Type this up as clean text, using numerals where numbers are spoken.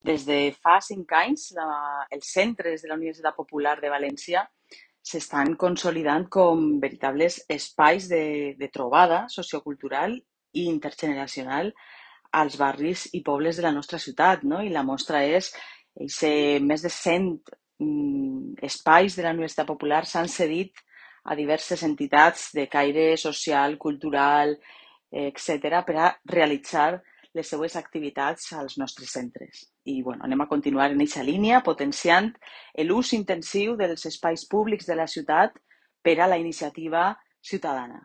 Des de fa 5 anys, els centres de la Universitat Popular de València s'estan consolidant com veritables espais de trobada sociocultural i intergeneracional als barris i pobles de la nostra ciutat, no? I la mostra és més de 100 espais de la Universitat Popular s'han cedit a diverses entitats de caire social, cultural, etc., per a realitzar les seues activitats als nostres centres. I bueno, anem a continuar en aquesta línia, potenciant l'ús intensiu dels espais públics de la ciutat per a la iniciativa ciutadana.